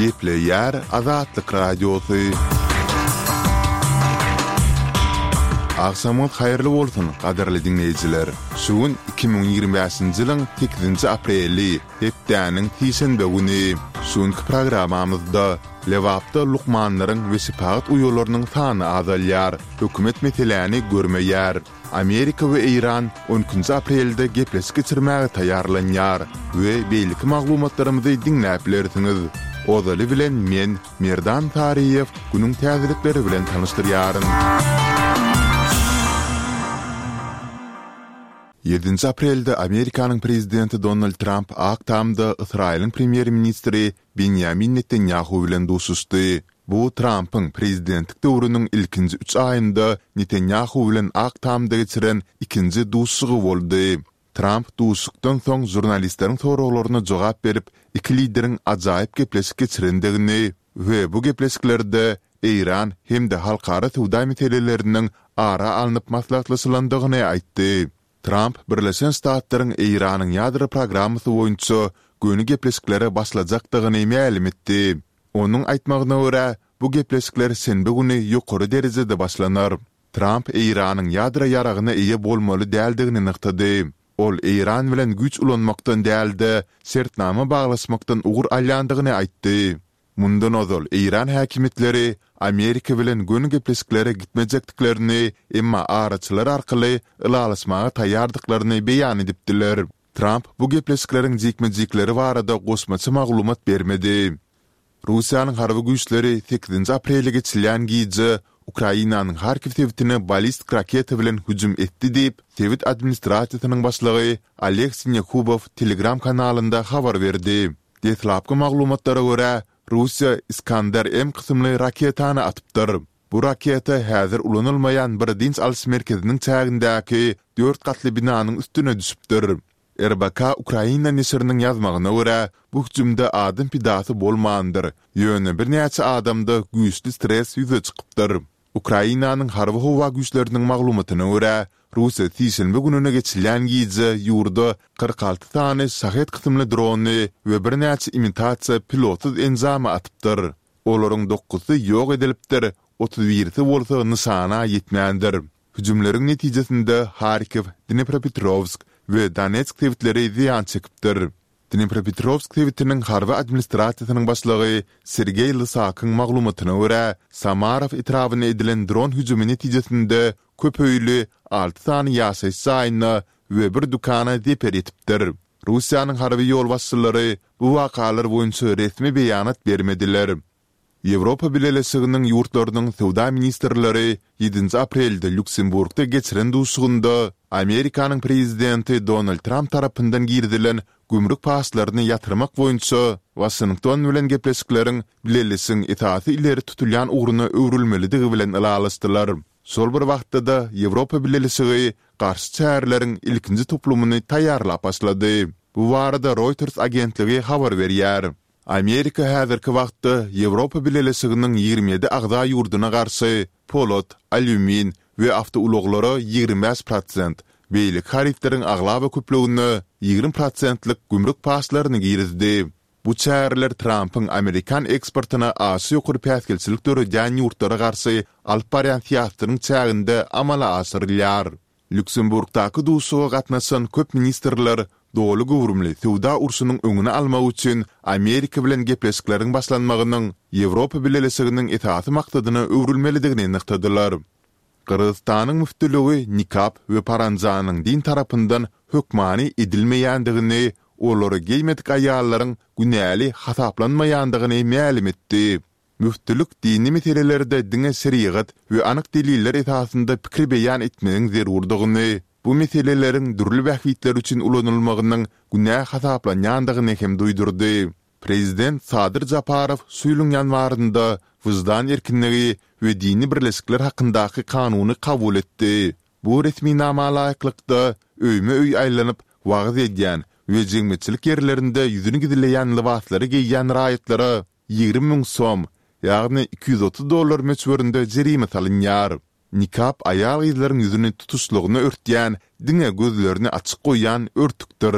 Gepleýär Azatlyk Radiosy. Agşamyňyz haýyrly bolsun, gadyrly diňleýjiler! Şu gün 2025-nji ýylyň sekizinji apreli, hepdäniň sişenbe güni. Şu günki programmamyzda Lebapda lukmanlaryň we şepagat uýalarynyň sany azalýar, hökümet meseläni görmeýär. Amerika we Eýran on ikinji aprelde gepleşik geçirmäge taýýarlanýar we beýleki maglumatlarymyzy diňläp bilersiňiz. Ozaly bilen men, Merdan Saryýew, günüň täzelikleri bilen tanyşdyrýaryn. Ýedinji aprelde Amerikanyň prezidenti Donald Tramp Ak Tamda Ysraýylyň premýer-ministri Benýamin Netanýahu bilen duşuşdy. Bu Trampyň prezidentlik döwrüniň ilkinji üç aýynda Netanýahu bilen Ak Tamda geçiren ikinji duşuşygy boldy. Tramp duşuşykdan soň žurnalistleriň soraglaryna jogap berip, iki lideriň ajaýyp gepleşik geçirendigini we bu gepleşiklerde Eýran hem-de halkara söwda meseleleriniň ara alnyp maslahatlaşylandygyny aýtdy. Tramp Birleşen Ştatlaryň Eýranyň ýadro programmasy boýunça göni gepleşiklere başlajakdygyny mälim etdi. Onuň aýtmagyna görä, bu gepleşikler şenbe güni ýokary derejede başlanar. Tramp Eýranyň ýadro ýaragyna eýe bolmaly däldigini nygtady. Ol Eýran bilen güýç ulanmakdan däl-de, şertnama baglaşmakdan ugur alýandygyny aýtdy. Mundan ozal eýran häkimiýetleri Amerika bilen göni gepleşiklere gitmejekdiklerini, emma araçylar arkaly ylalaşmaga taýýardyklaryny beýan edipdiler. Tramp bu gepleşikleriň jikme-jikleri barada goşmaça maglumat bermedi. Russiýanyň harby güýçleri sekizinji aprelde geçilýän gije Ukrainanyň Harkiw sebitine ballistik raketa bilen hüjüm etdi diýip, sebit administrasiýasynyň başlygy Oleg Sinehubow Telegram kanalynda habar berdi. Deslapky maglumatlara görä, Russiýa Iskander-M kysymly raketany atypdyr. Bu raketa häzir ulanylmaýan bir dynç alyş merkeziniň çägindäki dört gatly binanyň üstüne düşüpdir. RBK Ukraina neşiriniň ýazmagyna görä, bu hüjümde adam pidasy bolmandyr, ýöne birnäçe adamda güýçli stres ýüze çykypdyr. Ukrainanyň Harby-howa güýçleriniň maglumatyna görä, Russiýa sişenbe gününe geçilýän gije ýurda 46 sany Şahed kysymly drony we birnäçe imitasiýa pilotsyz enjamy atypdyr. Olaryň dokuzysy ýok edilipdir, otuz birisi bolsa nyşana ýetmändir. Hüjümleriň netijesinde Harkiw, Dnepropetrowsk we Donetsk sebitleri zyýan çekipdir. Dnepropetrowsk sebitiniň harby administrasiýasynyň başlygy Sergeý Lysakyň maglumatyna görä, Samarow etrabyna edilen dron hüjümi netijesinde köp öýli alty sany ýaşaýyş jaýyna we bir dükana zeper ýetipdir. Russiýanyň harby ýolbaşçylary bu wakalar boýunça resmi beýanat bermediler. Ýewropa Bileleşiginiň ýurtlarynyň söwda ministrleri ýedinji aprelde Lýuksemburgda geçiren duşuşygynda Amerikanyň prezidenti Donald Tramp tarapyndan girizilen gümrük paçlaryny ýatyrmak boýunça Waşington bilen gepleşikleriň Bileleşigiň esasy ileri tutulýan ugruna öwrülmelidigi bilen ylalaşdylar. Şol bir wagtda-da Ýewropa Bileleşigi garşy çäreleriň ilkinji toplumyny taýýarlap başlady. Bu barada Reuters agentligi habar berýär. Amerika häzirki wagtda Ýewropa Bileleşiginiň 27 agza ýurduna garşy polat, alýumin we awtoulaglara 25 prosent, beýleki harytlaryň aglaba köplügine 20 prosentlik gümrük paçlaryny girizdi. Bu çäreler Trampyň amerikan eksportyna aşa ýokary päsgelçilik döredýän ýurtlara garşy alyp barýan syýasatynyň çäginde amala aşyrylýar. Lýuksemburgdaky duşuşyga gatnaşan köp ministrler doly göwrümli söwda urşunyň öňüni almak üçin Amerika bilen gepleşikleriň başlanmagynyň Ýewropa Bileleşiginiň esasy maksadyna öwrülmelidigini nygtadylar. Gyrgyzystanyň müftüligi nikap we paranjanyň din tarapyndan hökmany edilmeýändigini, olary geýmedik aýallaryň günäli hasaplanmaýandygyny mälim etdi. Müftülik dini meselelerde diňe şerigat we anyk deliller esasynda pikir beýan etmegiň zerurdygyny, bu meseleleriň dürli bähbitler üçin ulanylmagynyň günä hasaplanýandygyny hem duýdurdy. Prezident Sadyr Japarow şu ýylyň ýanwarynda Wyždan erkinligi we dini birleşikler hakyndaky kanuny kabul etdi. Bu resminama laýyklykda, öýme-öý aýlanyp, wagyz edýän we jemgyýetçilik ýerlerinde ýüzüni gizleýän lybaslary geýýän raýatlara 20 müň som, ýagny 230 dollar möçberinde jerime salynýar. Nikap aýal-gyzlaryň ýüzüni tutuşlygyna örtýän, diňe gözlerini açyk goýýan örtükdir.